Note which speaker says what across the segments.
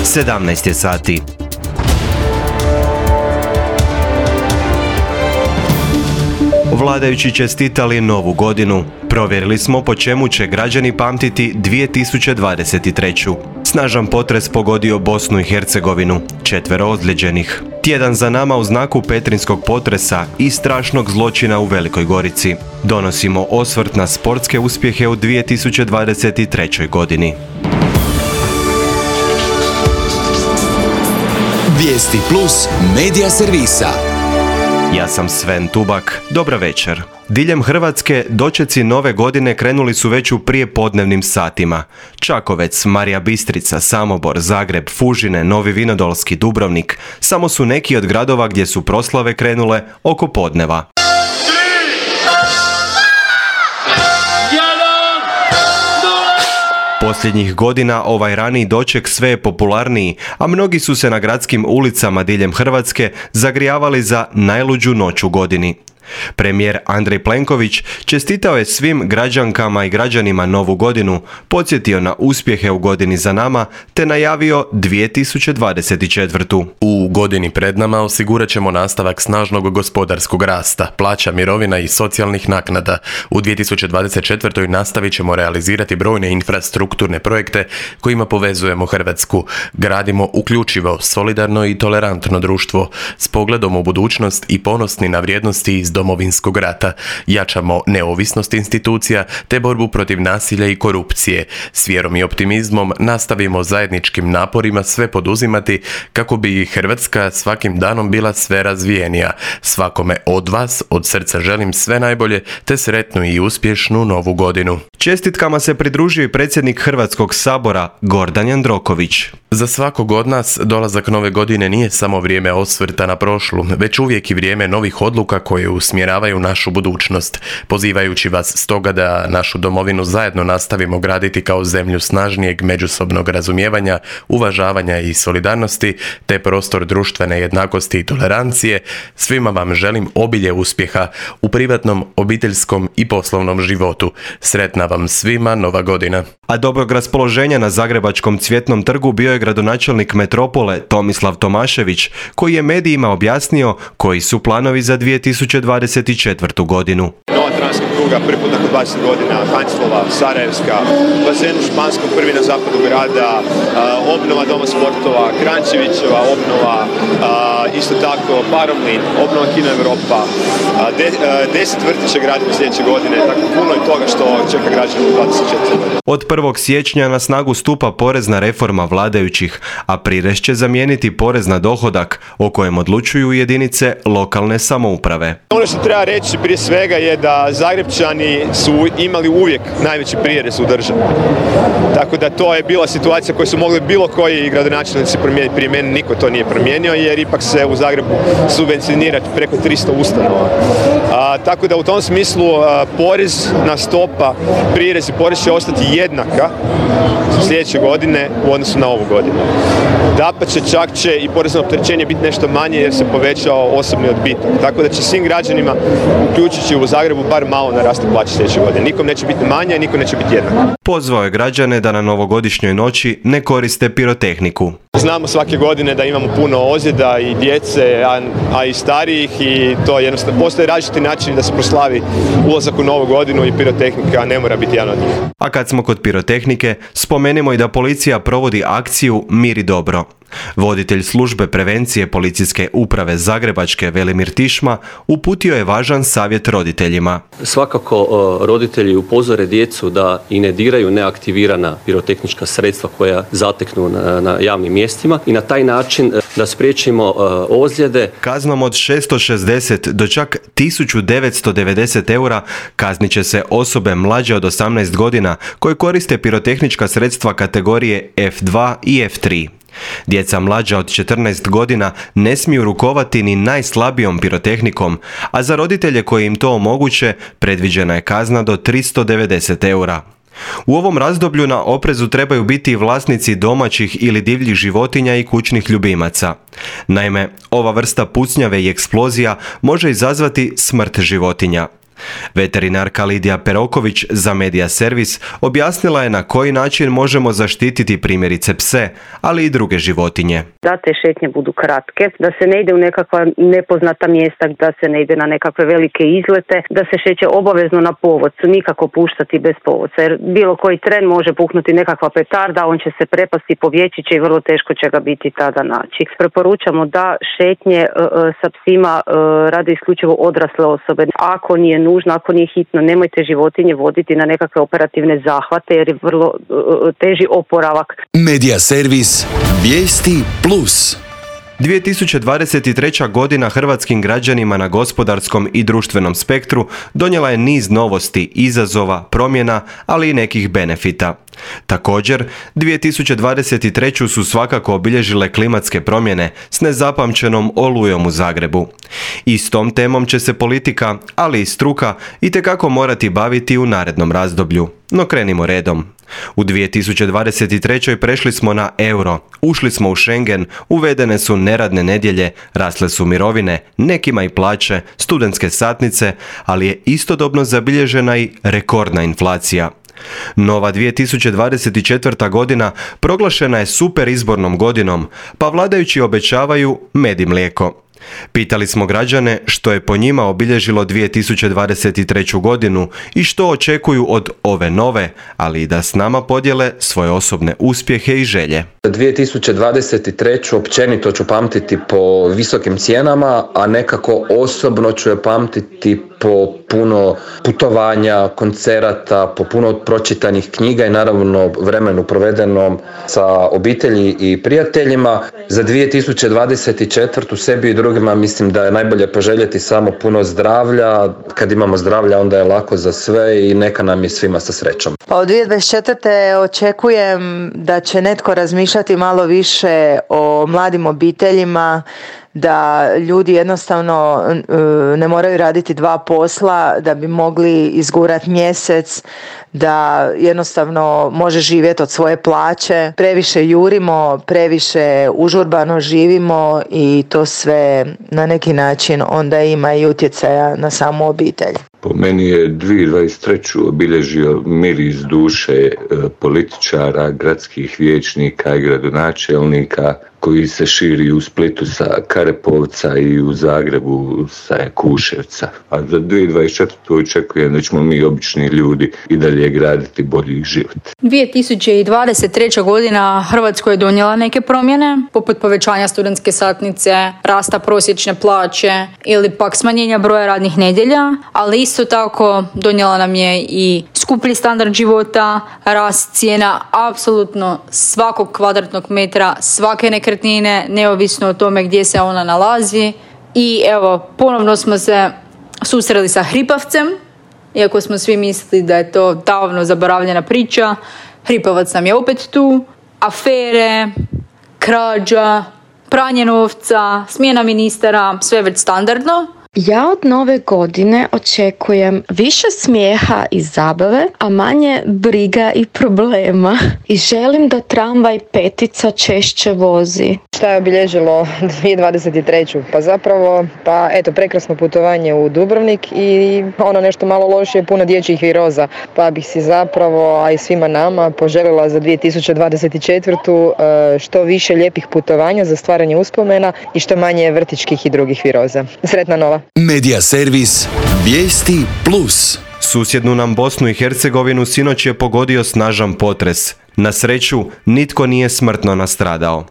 Speaker 1: 17 je sati. Vladajući čestitali novu godinu. Provjerili smo po čemu će građani pamtiti 2023. Snažan potres pogodio Bosnu i Hercegovinu, 4 ozlijeđenih. Tjedan za nama u znaku petrinskog potresa i strašnog zločina u Velikoj Gorici. Donosimo osvrt na sportske uspjehe u 2023. godini.
Speaker 2: Vijesti Plus medija servisa.
Speaker 1: Ja sam Sven Tubak, dobra večer. Diljem Hrvatske dočeci nove godine krenuli su već u prijepodnevnim satima. Čakovec, Marija Bistrica, Samobor, Zagreb, Fužine, Novi Vinodolski, Dubrovnik samo su neki od gradova gdje su proslave krenule oko podneva. Posljednjih godina ovaj raniji doček sve je popularniji, a mnogi su se na gradskim ulicama diljem Hrvatske zagrijavali za najluđu noć u godini. Premijer Andrej Plenković čestitao je svim građankama i građanima novu godinu, podsjetio na uspjehe u godini za nama te najavio 2024.
Speaker 3: U godini pred nama osigurat ćemo nastavak snažnog gospodarskog rasta, plaća, mirovina i socijalnih naknada. U 2024. nastavit ćemo realizirati brojne infrastrukturne projekte kojima povezujemo Hrvatsku. Gradimo uključivo, solidarno i tolerantno društvo s pogledom u budućnost i ponosni na vrijednosti iz Domovinskog rata. Jačamo neovisnost institucija te borbu protiv nasilja i korupcije. S vjerom i optimizmom nastavimo zajedničkim naporima sve poduzimati kako bi Hrvatska svakim danom bila sve razvijenija. Svakome od vas od srca želim sve najbolje te sretnu i uspješnu novu godinu.
Speaker 1: Čestitkama se pridružio i predsjednik Hrvatskog sabora Gordan Jandroković.
Speaker 3: Za svakog od nas dolazak nove godine nije samo vrijeme osvrta na prošlu, već uvijek i vrijeme novih odluka koje usmjeravaju našu budućnost. Pozivajući vas stoga da našu domovinu zajedno nastavimo graditi kao zemlju snažnijeg međusobnog razumijevanja, uvažavanja i solidarnosti, te prostor društvene jednakosti i tolerancije, svima vam želim obilje uspjeha u privatnom, obiteljskom i poslovnom životu. Sretna vam svima nova godina.
Speaker 1: A dobrog raspoloženja na Zagrebačkom Cvjetnom trgu bio je gradonačelnik metropole Tomislav Tomašević, koji je medijima objasnio koji su planovi za 2024. godinu.
Speaker 4: Nova transka pruga, prvi put nakon 20 godina, Hanslova, Sarajevska, bazen u Španskom, prvi na zapadu grada, obnova doma sportova, Krančevićeva obnova, isto tako Paromlin, obnova Kino Europa, 10 vrtića gradimo sljedeće godine, tako puno je toga što čeka građane u 24 godine.
Speaker 1: Od 1. siječnja na snagu stupa porezna reforma vladajućih, a prirez će zamijeniti porez na dohodak, o kojem odlučuju jedinice lokalne samouprave.
Speaker 4: Ono što treba reći prije svega je da Zagrepčani su imali uvijek najveći prirez u državi. Tako da to je bila situacija koju su mogli bilo koji gradonačelnici promijeniti prije mene, niko to nije promijenio jer ipak se u Zagrebu subvencionira preko 300 ustanova. Tako da u tom smislu porezna stopa, prirez i porez će ostati jednaka sljedeće godine u odnosu na ovu godinu. Dapače, čak će i porezno opterećenje biti nešto manje jer se povećao osobni odbitak. Tako da će svim građanima, uključujući u Zagrebu, bar malo narasti plaće sljedeće godine. Nikom neće biti manje, nikom neće biti jednako.
Speaker 1: Pozvao je građane da na novogodišnjoj noći ne koriste pirotehniku.
Speaker 4: Znamo svake godine da imamo puno ozljeda i djece, a i starijih i to jednostavno postoje različiti načini da se proslavi ulazak u novu godinu i pirotehnika ne mora biti jedan od njih.
Speaker 1: A kad smo kod pirotehnike, spomenimo i da policija provodi akciju Mir i dobro. Voditelj službe prevencije policijske uprave Zagrebačke Velimir Tišma uputio je važan savjet roditeljima.
Speaker 5: Svakako roditelji upozore djecu da i ne diraju neaktivirana pirotehnička sredstva koja zateknu na javnim mjestima i na taj način da spriječimo ozljede.
Speaker 1: Kaznom od 660 do čak 1990 eura kaznit će se osobe mlađe od 18 godina koje koriste pirotehnička sredstva kategorije F2 i F3. Djeca mlađa od 14 godina ne smiju rukovati ni najslabijom pirotehnikom, a za roditelje koji im to omoguće predviđena je kazna do 390 eura. U ovom razdoblju na oprezu trebaju biti i vlasnici domaćih ili divljih životinja i kućnih ljubimaca. Naime, ova vrsta pucnjave i eksplozija može izazvati smrt životinja. Veterinarka Lidija Peroković za Media Servis objasnila je na koji način možemo zaštititi primjerice pse, ali i druge životinje.
Speaker 6: Da te šetnje budu kratke, da se ne ide u nekakva nepoznata mjesta, da se ne ide na nekakve velike izlete, da se šeće obavezno na povodcu, nikako puštati bez povodca, jer bilo koji tren može puhnuti nekakva petarda, on će se prepasti, povjeći će i vrlo teško će ga biti tada naći. Preporučamo da šetnje sa psima rade isključivo odrasle osobe. Ako nije nužno, ako nije hitno, nemojte životinje voditi na nekakve operativne zahvate jer je vrlo teži oporavak.
Speaker 2: Media Servis. Vijesti plus.
Speaker 1: 2023. godina hrvatskim građanima na gospodarskom i društvenom spektru donijela je niz novosti, izazova, promjena, ali i nekih benefita. Također, 2023. su svakako obilježile klimatske promjene s nezapamćenom olujom u Zagrebu. I s tom temom će se politika, ali i struka, itekako morati baviti u narednom razdoblju. No krenimo redom. U 2023. prešli smo na euro, ušli smo u Schengen, uvedene su neradne nedjelje, rasle su mirovine, nekima i plaće, studentske satnice, ali je istodobno zabilježena i rekordna inflacija. Nova 2024. godina proglašena je super izbornom godinom, pa vladajući obećavaju med i mlijeko. Pitali smo građane što je po njima obilježilo 2023. godinu i što očekuju od ove nove, ali i da s nama podijele svoje osobne uspjehe i želje.
Speaker 7: 2023. općenito ću pamtiti po visokim cijenama, a nekako osobno ću je pamtiti po puno putovanja, koncerata, po puno pročitanih knjiga i naravno vremenu provedenom sa obitelji i prijateljima. Za 2024. sebi i drugima mislim da je najbolje poželjeti samo puno zdravlja. Kad imamo zdravlja onda je lako za sve i neka nam je svima sa srećom.
Speaker 8: Pa od 2024. očekujem da će netko razmišljati malo više o mladim obiteljima, da ljudi jednostavno ne moraju raditi dva posla da bi mogli izgurati mjesec, da jednostavno može živjeti od svoje plaće. Previše jurimo, previše užurbano živimo i to sve na neki način onda ima i utjecaja na samu obitelj.
Speaker 9: Po meni je 2023. obilježio miris duše političara, gradskih vijećnika i gradonačelnika koji se širi u Splitu sa Karepovca i u Zagrebu sa Kuševca. A za 2024. očekujem da ćemo mi obični ljudi i dalje graditi bolji život.
Speaker 10: 2023. godina Hrvatskoj je donijela neke promjene, poput povećanja studentske satnice, rasta prosječne plaće ili pak smanjenja broja radnih nedjelja, ali isto tako donijela nam je i skuplji standard života, rast cijena apsolutno svakog kvadratnog metra, svake nekretnine, neovisno o tome gdje se ona nalazi. I evo, ponovno smo se susreli sa hripavcem, iako smo svi mislili da je to davno zaboravljena priča. Hripavac nam je opet tu, afere, krađa, pranje novca, smjena ministara, sve već standardno.
Speaker 11: Ja od nove godine očekujem više smijeha i zabave, a manje briga i problema. I želim da tramvaj petica češće vozi.
Speaker 12: Šta je obilježilo 2023. Pa zapravo, prekrasno putovanje u Dubrovnik i ono nešto malo lošije, puno dječjih viroza. Pa bih si zapravo, a i svima nama, poželjela za 2024. Što više lijepih putovanja za stvaranje uspomena i što manje vrtićkih i drugih viroza. Sretna nova!
Speaker 2: Media Servis. Vijesti plus.
Speaker 1: Susjednu nam Bosnu i Hercegovinu sinoć je pogodio snažan potres. Na sreću, nitko nije smrtno nastradao.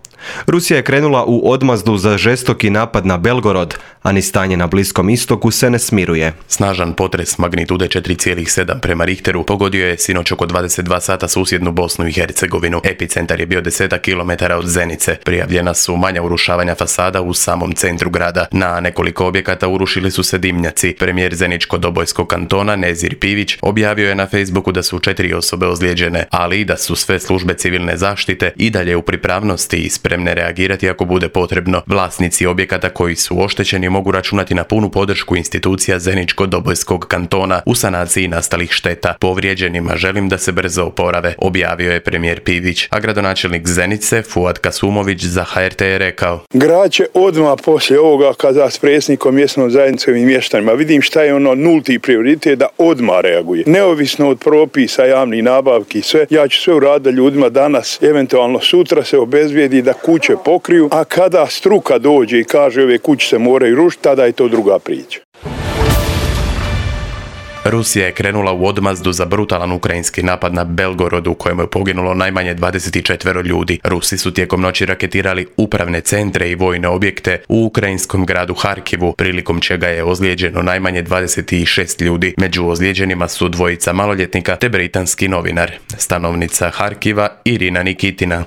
Speaker 1: Rusija je krenula u odmazdu za žestoki napad na Belgorod, a ni stanje na Bliskom istoku se ne smiruje.
Speaker 3: Snažan potres magnitude 4,7 prema Richteru pogodio je sinoć oko 22 sata susjednu Bosnu i Hercegovinu. Epicentar je bio 10 km od Zenice. Prijavljena su manja urušavanja fasada u samom centru grada. Na nekoliko objekata urušili su se dimnjaci. Premijer Zeničko-Dobojskog kantona Nezir Pivić objavio je na Facebooku da su 4 osobe ozlijeđene, ali i da su sve službe civilne zaštite i dalje u pripravnosti i spremne reagirati ako bude potrebno. Vlasnici objekata koji su oštećeni mogu računati na punu podršku institucija Zeničko-Dobojskog kantona u sanaciji nastalih šteta. Povrijeđenima želim da se brzo oporave, objavio je premijer Pivić, a gradonačelnik Zenice Fuad Kasumović za HRT je rekao:
Speaker 13: Grad će odmah poslije ovoga kada s predsjednikom mjesnom zajednicom i mještanima vidim šta je ono nulti prioritet da odmah reaguje. Neovisno od propisa, javnih nabavki i sve, ja ću sve uraditi da ljudima danas, eventualno sutra se obezbijedi da kuće pokriju, a kada struka dođe i kaže ove kuće se moraju rušiti, tada je to druga priča.
Speaker 3: Rusija je krenula u odmazdu za brutalan ukrajinski napad na Belgorod u kojem je poginulo najmanje 24 ljudi. Rusi su tijekom noći raketirali upravne centre i vojne objekte u ukrajinskom gradu Harkivu, prilikom čega je ozlijeđeno najmanje 26 ljudi. Među ozlijeđenima su dvojica maloljetnika te britanski novinar. Stanovnica Harkiva Irina Nikitina.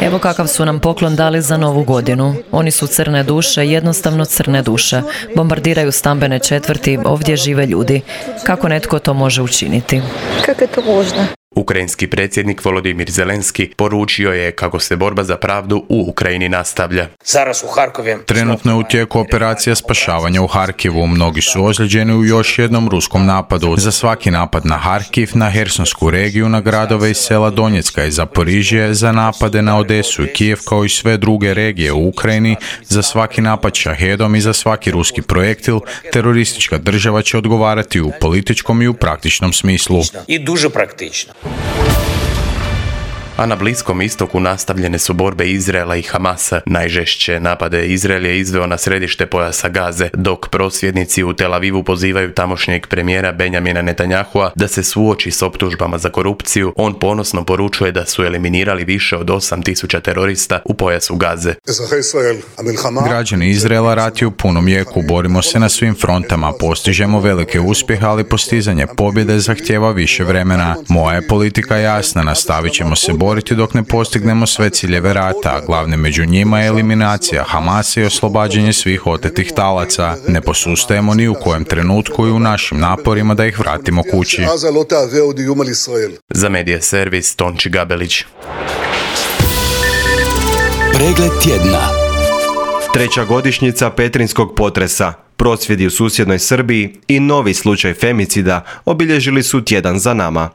Speaker 14: Evo kakav su nam poklon dali za Novu godinu. Oni su crne duše, jednostavno crne duše. Bombardiraju stambene četvrti, ovdje žive ljudi. Kako netko to može učiniti?
Speaker 11: Kako je to možno?
Speaker 3: Ukrajinski predsjednik Volodimir Zelenski poručio je kako se borba za pravdu u Ukrajini nastavlja.
Speaker 15: Trenutno je u tijeku operacija spašavanja u Harkivu. Mnogi su ozlijeđeni u još jednom ruskom napadu. Za svaki napad na Harkiv, na Hersonsku regiju, na gradove i sela Donjecka i Zaporižje, za napade na Odesu i Kijev kao i sve druge regije u Ukrajini, za svaki napad šahedom i za svaki ruski projektil, teroristička država će odgovarati u političkom i u praktičnom smislu.
Speaker 16: I duže praktično.
Speaker 3: A na Bliskom istoku nastavljene su borbe Izraela i Hamasa. Najžešće napade Izrael je izveo na središte pojasa Gaze, dok prosvjednici u Tel Avivu pozivaju tamošnjeg premijera Benjamina Netanyahua da se suoči s optužbama za korupciju. On ponosno poručuje da su eliminirali više od 8.000 terorista u pojasu Gaze.
Speaker 15: Građani Izraela, rat je u punom jeku, borimo se na svim frontama, postižemo velike uspjehe, ali postizanje pobjede zahtijeva više vremena. Moja je politika jasna, nastavit ćemo se boriti dok ne postignemo sve ciljeve rata, a glavni među njima je eliminacija Hamasa i oslobađanje svih otetih talaca. Ne posustajemo ni u kojem trenutku i u našim naporima da ih vratimo kući.
Speaker 3: Za Medija servis Tonči Gabelić.
Speaker 2: Pregled tjedna.
Speaker 1: Treća godišnjica petrinskog potresa, prosvjedi u susjednoj Srbiji i novi slučaj femicida obilježili su tjedan za nama.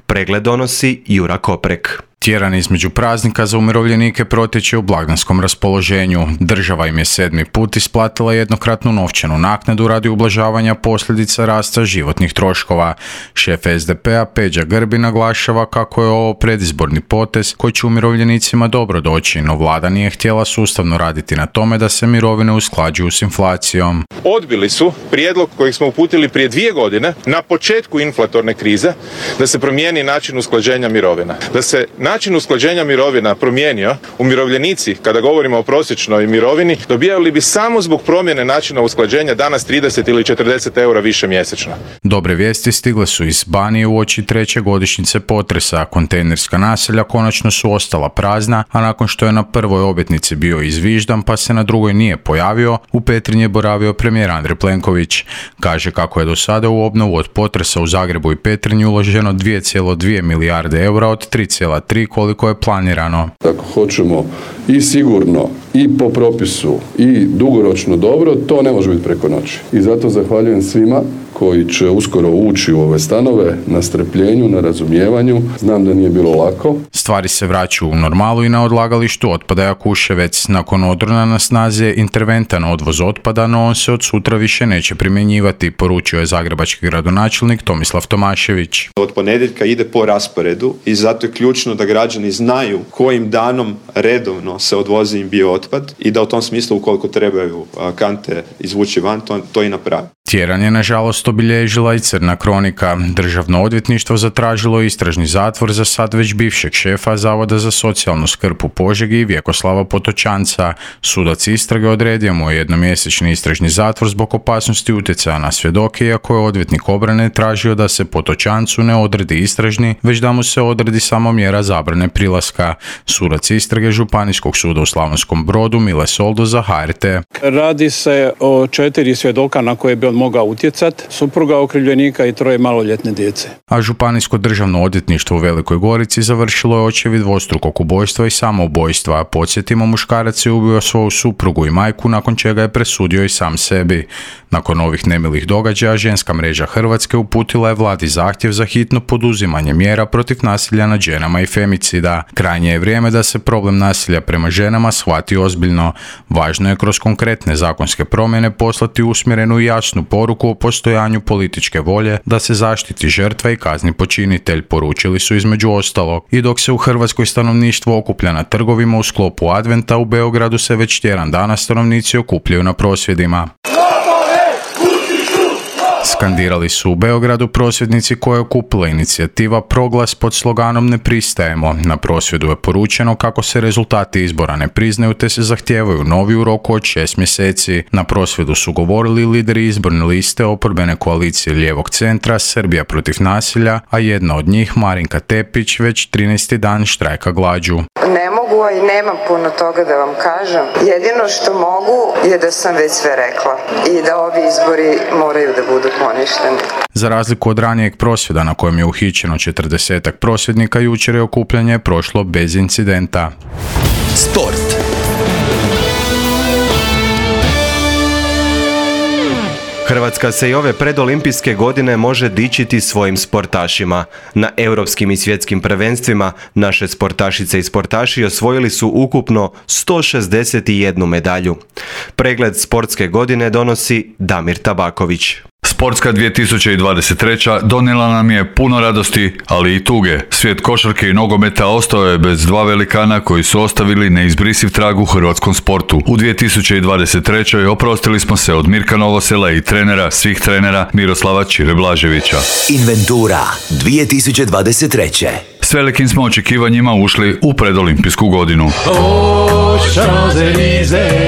Speaker 1: Pregled donosi Jura Koprek.
Speaker 15: Tjedan između praznika za umirovljenike protječe u blagdanskom raspoloženju. Država im je 7. put isplatila jednokratnu novčanu naknadu radi ublažavanja posljedica rasta životnih troškova. Šef SDP-a Peđa Grbin naglašava kako je ovo predizborni potez koji će umirovljenicima dobro doći, no vlada nije htjela sustavno raditi na tome da se mirovine usklađuju s inflacijom.
Speaker 17: Odbili su prijedlog kojeg smo uputili prije 2 godine na početku inflatorne krize da se promijeni način usklađenja mirovina. Da se način usklađenja mirovina promijenio, umirovljenici, kada govorimo o prosječnoj mirovini, dobijali bi samo zbog promjene načina usklađenja danas 30 ili 40 eura više mjesečno.
Speaker 15: Dobre vijesti stigle su iz Banije uoči treće godišnjice potresa. Kontejnerska naselja konačno su ostala prazna, a nakon što je na prvoj obljetnici bio izviždan pa se na drugoj nije pojavio, u Petrinji je boravio premijer Andrej Plenković. Kaže kako je do sada u obnovu od potresa u Zagrebu i Petrinji uloženo 2,2 milijarde eura od 3,3 koliko je planirano.
Speaker 18: Ako hoćemo i sigurno i po propisu i dugoročno dobro, to ne može biti preko noći. I zato zahvaljujem svima koji će uskoro ući u ove stanove, na strpljenju, na razumijevanju. Znam da nije bilo lako.
Speaker 15: Stvari se vraćaju u normalu i na odlagalištu otpada Jakuševec. Nakon odrona na snazi je interventan odvoz otpada, no on se od sutra više neće primjenjivati, poručio je zagrebački gradonačelnik Tomislav Tomašević.
Speaker 19: Od ponedjeljka ide po rasporedu i zato je ključno da građani znaju kojim danom redovno se odvozi im biootpad i da u tom smislu ukoliko trebaju kante izvući van, to i napravi.
Speaker 15: Tjedan je nažalost obilježila i crna kronika. Državno odvjetništvo zatražilo istražni zatvor za sad već bivšeg šefa Zavoda za socijalnu skrb u Požegi Vjekoslava Potočanca. Sudac istrage odredio mu je jednomjesečni istražni zatvor zbog opasnosti utjecaja na svjedoke, iako je odvjetnik obrane tražio da se Potočancu ne odredi istražni, već da mu se odredi samo mjera zabrane prilaska. Sudac istrage Županijskog suda u Slavonskom Brodu Mile Soldo za HRT.
Speaker 20: Radi se o 4 svjedoka na koje bi on mogao utjecati.
Speaker 16: supruga okrivljenika i 3 maloljetne djece.
Speaker 15: A Županijsko državno odvjetništvo u Velikoj Gorici završilo je očevid dvostrukog ubojstva i samoubojstva. Podsjetimo, muškarac je ubio svoju suprugu i majku, nakon čega je presudio i sam sebi. Nakon ovih nemilih događaja, Ženska mreža Hrvatske uputila je vladi zahtjev za hitno poduzimanje mjera protiv nasilja nad ženama i femicida. Krajnje je vrijeme da se problem nasilja prema ženama shvati ozbiljno. Važno je kroz konkretne zakonske promjene poslati usmjerenu i jasnu poruku o postojanju političke volje da se zaštiti žrtva i kazni počinitelj, poručili su između ostalog. I dok se u Hrvatskoj stanovništvo okuplja na trgovima u sklopu Adventa, u Beogradu se već tjedan dana stanovnici okupljaju na prosvjedima. Skandirali su u Beogradu prosvjednici koje je okupila inicijativa Proglas pod sloganom Ne pristajemo. Na prosvjedu je poručeno kako se rezultati izbora ne priznaju te se zahtijevaju novi u roku od 6 mjeseci. Na prosvjedu su govorili lideri izborne liste oporbene koalicije lijevog centra Srbija protiv nasilja, a jedna od njih, Marinka Tepić, već 13. dan štrajka glađu.
Speaker 20: Ne mogu i nemam puno toga da vam kažem. Jedino što mogu je da sam već sve rekla i da ovi izbori moraju da budu poništeni.
Speaker 15: Za razliku od ranijeg prosvjeda na kojem je uhićeno 40-ak prosvjednika, jučer je okupljanje prošlo bez incidenta.
Speaker 2: Sport.
Speaker 1: Hrvatska se i ove predolimpijske godine može dičiti svojim sportašima. Na europskim i svjetskim prvenstvima naše sportašice i sportaši osvojili su ukupno 161 medalju. Pregled sportske godine donosi Damir Tabaković.
Speaker 21: Sportska 2023. donijela nam je puno radosti, ali i tuge. Svijet košarke i nogometa ostao je bez 2 velikana koji su ostavili neizbrisiv trag u hrvatskom sportu. U 2023. oprostili smo se od Mirka Novosela i trenera svih trenera Miroslava Čire Blaževića.
Speaker 2: Inventura 2023.
Speaker 21: S velikim smo očekivanjima ušli u predolimpijsku godinu.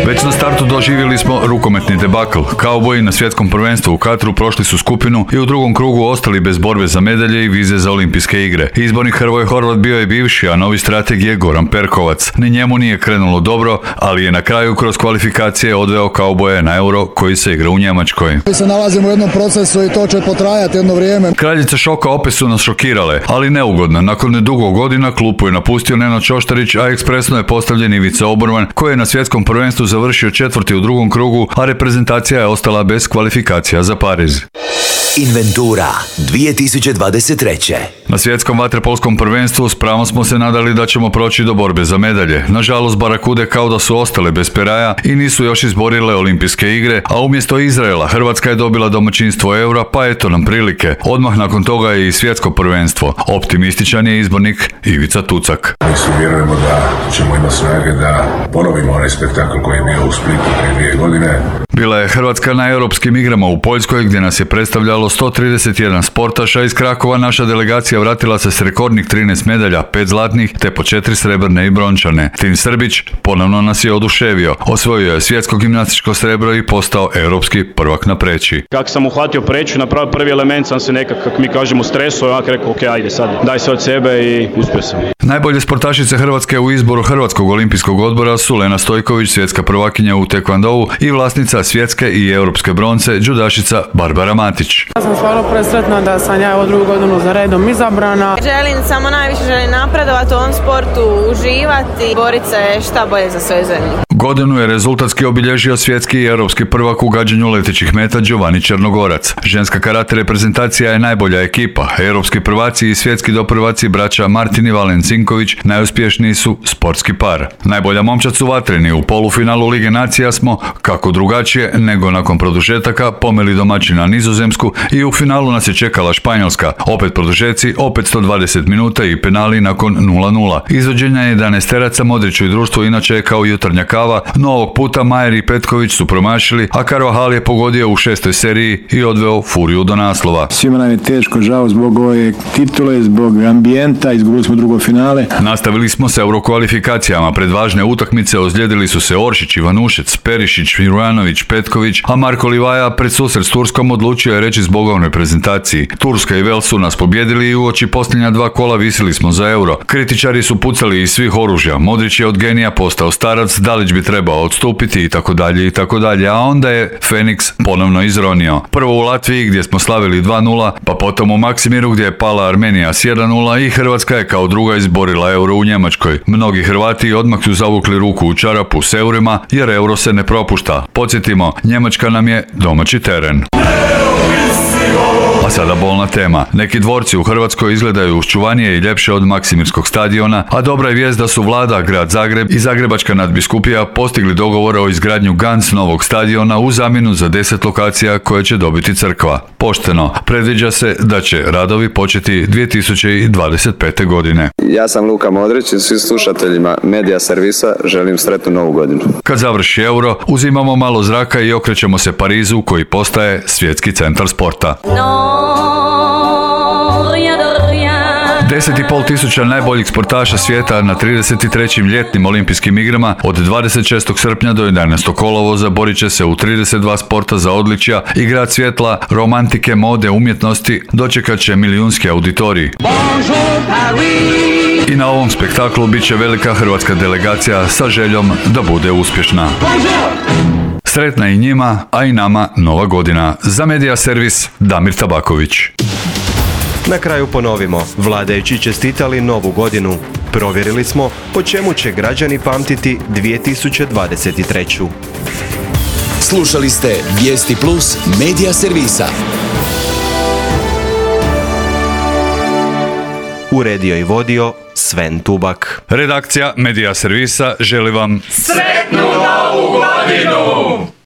Speaker 21: Već na startu doživjeli smo rukometni debakl. Kauboji na svjetskom prvenstvu u Katru prošli su skupinu i u drugom krugu ostali bez borbe za medalje i vize za olimpijske igre. Izbornik Hrvoje Horvat bio je bivši, a novi strateg je Goran Perkovac. Ni njemu nije krenulo dobro, ali je na kraju kroz kvalifikacije odveo Kauboje na Euro koji se igra u Njemačkoj.
Speaker 22: Mi se nalazimo u jednom procesu i to će potrajati jedno vrijeme.
Speaker 21: Kraljice šoka opet su nas šokirale, ali neugodno. Nakon nedugo godina klupu je napustio Nenad Čoštarić, a ekspresno je postavljen Ivica Oborman, koji je na svjetskom prvenstvu završio 4. u drugom krugu, a reprezentacija je ostala bez kvalifikacija za Pariz.
Speaker 2: Inventura 2023.
Speaker 21: Na svjetskom vaterpolskom prvenstvu s pravom smo se nadali da ćemo proći do borbe za medalje. Nažalost, Barakude kao da su ostale bez peraja i nisu još izborile olimpijske igre, a umjesto Izraela Hrvatska je dobila domaćinstvo Eura, pa eto nam prilike. Odmah nakon toga je i svjetsko prvenstvo. Optimističan je izbornik Ivica Tucak.
Speaker 23: Mi se vjerujemo da ćemo imati snage da ponovimo onaj spektakl koji je bio u Splitu prije 2 godine.
Speaker 21: Bila je Hrvatska na europskim igrama u Poljskoj gdje nas je predstavljalo 131 sportaša. Iz Krakova naša delegacija vratila se s rekordnih 13 medalja, 5 zlatnih te po 4 srebrne i brončane. Tim Srbić ponovno nas je oduševio. Osvojio je svjetsko gimnastičko srebro i postao europski prvak na preći.
Speaker 24: Kako sam uhvatio preću, napravio prvi element, sam se nekako, kako mi kažemo, stresao, ja rekao, ok, ajde sad, daj se od sebe i uspio sam.
Speaker 21: Najbolje sportašice Hrvatske u izboru Hrvatskog olimpijskog odbora su Lena Stojković, svjetska prvakinja u tekvandou, i vlasnica svjetske i europske bronce, džudašica Barbara Matić.
Speaker 25: Ja sam stvarno presretna da sam ja drugu godinu za redom izabrana.
Speaker 26: Najviše želim napredovati u ovom sportu, uživati, boriti se šta bolje za svoju zemlju.
Speaker 21: Godinu je rezultatski obilježio svjetski i europski prvak u gađanju letećih meta Giovanni Črnogorac. Ženska karate reprezentacija je najbolja ekipa. Europski prvaci i svjetski doprvaci braća Martin i Valen Cinković najuspješniji su sportski par. Najbolja momčad su vatreni. U polufinalu Lige nacija smo, kako drugačije nego nakon produžetaka, pomeli domaćina Nizozemsku i u finalu nas je čekala Španjolska. Opet produžeci, opet 120 minuta i penali nakon 0-0. Izvođenja 11-teraca Modriću i društvu inače je kao jutarnja kava, no ovog puta Majer i Petković su promašili, a Carvajal je pogodio u 6. seriji i odveo Furiju do naslova.
Speaker 22: Svima nam je teško, žao, zbog ove titule, zbog ambijenta, izgubili smo drugo finale.
Speaker 21: Nastavili smo se eurokvalifikacijama. Pred važne utakmice ozlijedili su se Oršić, Ivanušec, Perišić, Mirujanović, Petković, a Marko Livaja pred susret s Turskom odlučio je reći zbogovnoj reprezentaciji. Turska i Vel su nas pobjedili i uoči posljednja 2 kola visili smo za Euro. Kritičari su pucali iz svih oružja. Modrić je od genija postao starac, Dalić bi bi trebao odstupiti i tako dalje, a onda je Feniks ponovno izronio. Prvo u Latviji gdje smo slavili 2:0, pa potom u Maksimiru gdje je pala Armenija s 1:0 i Hrvatska je kao druga izborila euro u Njemačkoj. Mnogi Hrvati odmah su zavukli ruku u čarapu s eurima jer euro se ne propušta. Podsjetimo, Njemačka nam je domaći teren. A sada bolna tema. Neki dvorci u Hrvatskoj izgledaju uščuvanije i ljepše od Maksimirskog stadiona, a dobra je vijest da su vlada, grad Zagreb i Zagrebačka nadbiskupija postigli dogovor o izgradnju Gans novog stadiona u zamjenu za 10 lokacija koje će dobiti crkva. Pošteno, predviđa se da će radovi početi 2025. godine.
Speaker 4: Ja sam Luka Modrić i svim slušateljima Medija Servisa želim sretnu novu godinu.
Speaker 21: Kad završi euro, uzimamo malo zraka i okrećemo se Parizu koji postaje svjetski centar sporta. 10,5 tisuća najboljih sportaša svijeta na 33. ljetnim olimpijskim igrama od 26. srpnja do 11. kolovoza borit će se u 32 sporta za odličja i grad svjetla, romantike, mode, umjetnosti dočekat će milijunski auditorij. I na ovom spektaklu bit će velika hrvatska delegacija sa željom da bude uspješna. Sretna i njima, a i nama nova godina. Za Medija Servis, Damir Tabaković.
Speaker 1: Na kraju ponovimo, vladajući čestitali novu godinu. Provjerili smo po čemu će građani pamtiti 2023.
Speaker 2: Slušali ste Vijesti Plus Medija Servisa.
Speaker 1: Uredio i vodio Sven Tubak.
Speaker 21: Redakcija Medija Servisa želi vam
Speaker 5: sretnu novu godinu!